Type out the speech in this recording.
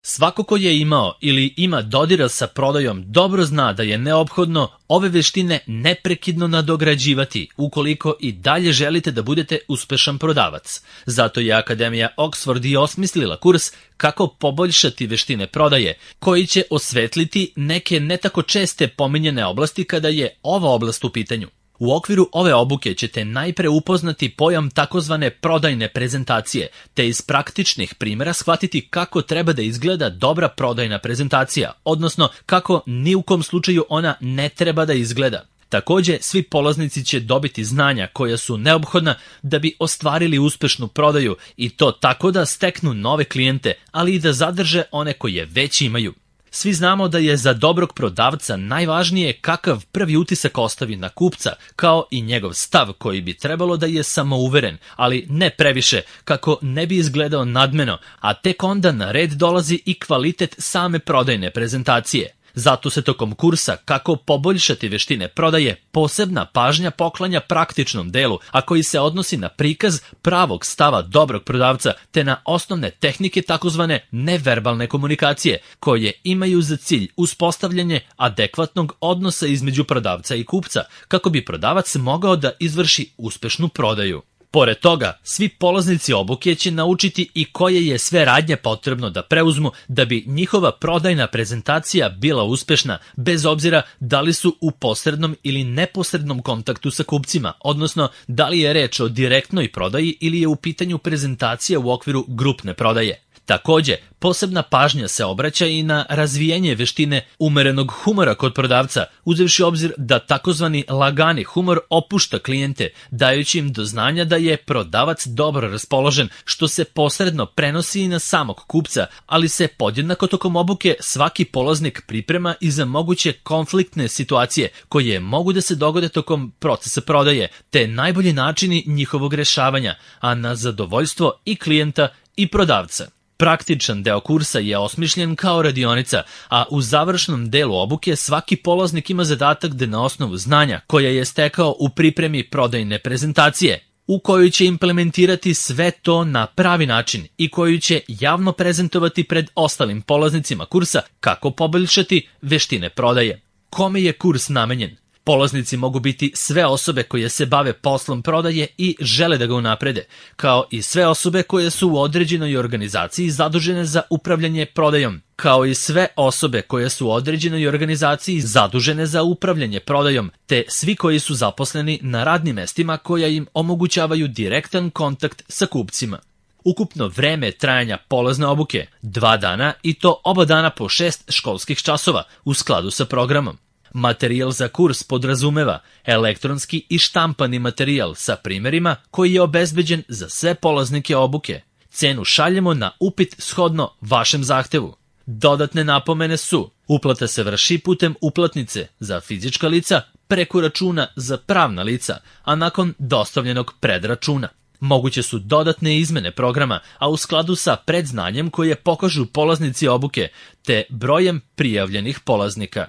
Svako ko je imao ili ima dodira sa prodajom dobro zna da je neophodno ove veštine neprekidno nadograđivati ukoliko i dalje želite da budete uspešan prodavac. Zato je Akademija Oxford i osmislila kurs kako poboljšati veštine prodaje, koji će osvetliti neke ne tako česte pominjene oblasti kada je ova oblast u pitanju. U okviru ove obuke ćete najpre upoznati pojam takozvane prodajne prezentacije, te iz praktičnih primjera shvatiti kako treba da izgleda dobra prodajna prezentacija, odnosno kako ni u kom slučaju ona ne treba da izgleda. Takođe, svi polaznici će dobiti znanja koja su neophodna da bi ostvarili uspešnu prodaju i to tako da steknu nove klijente, ali i da zadrže one koje već imaju. Svi znamo da je za dobrog prodavca najvažnije kakav prvi utisak ostavi na kupca, kao i njegov stav koji bi trebalo da je samouveren, ali ne previše, kako ne bi izgledao nadmeno, a tek onda na red dolazi i kvalitet same prodajne prezentacije. Zato se tokom kursa kako poboljšati veštine prodaje posebna pažnja poklanja praktičnom delu, a koji se odnosi na prikaz pravog stava dobrog prodavca te na osnovne tehnike takozvane neverbalne komunikacije, koje imaju za cilj uspostavljanje adekvatnog odnosa između prodavca i kupca, kako bi prodavac mogao da izvrši uspešnu prodaju. Pored toga, svi polaznici obuke će naučiti i koje je sve radnje potrebno da preuzmu da bi njihova prodajna prezentacija bila uspešna, bez obzira da li su u posrednom ili neposrednom kontaktu sa kupcima, odnosno da li je reč o direktnoj prodaji ili je u pitanju prezentacija u okviru grupne prodaje. Takođe, posebna pažnja se obraća i na razvijanje veštine umerenog humora kod prodavca, uzevši obzir da takozvani lagani humor opušta klijente, dajući im do znanja da je prodavac dobro raspoložen, što se posredno prenosi i na samog kupca, ali se podjednako tokom obuke svaki polaznik priprema i za moguće konfliktne situacije koje mogu da se dogode tokom procesa prodaje, te najbolji načini njihovog rešavanja, a na zadovoljstvo i klijenta i prodavca. Praktičan deo kursa je osmišljen kao radionica, a u završnom delu obuke svaki polaznik ima zadatak da na osnovu znanja koja je stekao u pripremi prodajne prezentacije, u kojoj će implementirati sve to na pravi način i koju će javno prezentovati pred ostalim polaznicima kursa kako poboljšati veštine prodaje. Kome je kurs namenjen? Polaznici mogu biti sve osobe koje se bave poslom prodaje i žele da ga unaprede, kao i sve osobe koje su u određenoj organizaciji zadužene za upravljanje prodajom, te svi koji su zaposleni na radnim mestima koja im omogućavaju direktan kontakt sa kupcima. Ukupno vreme trajanja polazne obuke 2 dana i to oba dana po 6 školskih časova u skladu sa programom. Materijal za kurs podrazumeva elektronski i štampani materijal sa primerima koji je obezbeđen za sve polaznike obuke. Cenu šaljemo na upit shodno vašem zahtevu. Dodatne napomene su: uplata se vrši putem uplatnice za fizička lica preko računa za pravna lica, a nakon dostavljenog predračuna. Moguće su dodatne izmene programa, a u skladu sa predznanjem koje pokažu polaznici obuke, te brojem prijavljenih polaznika.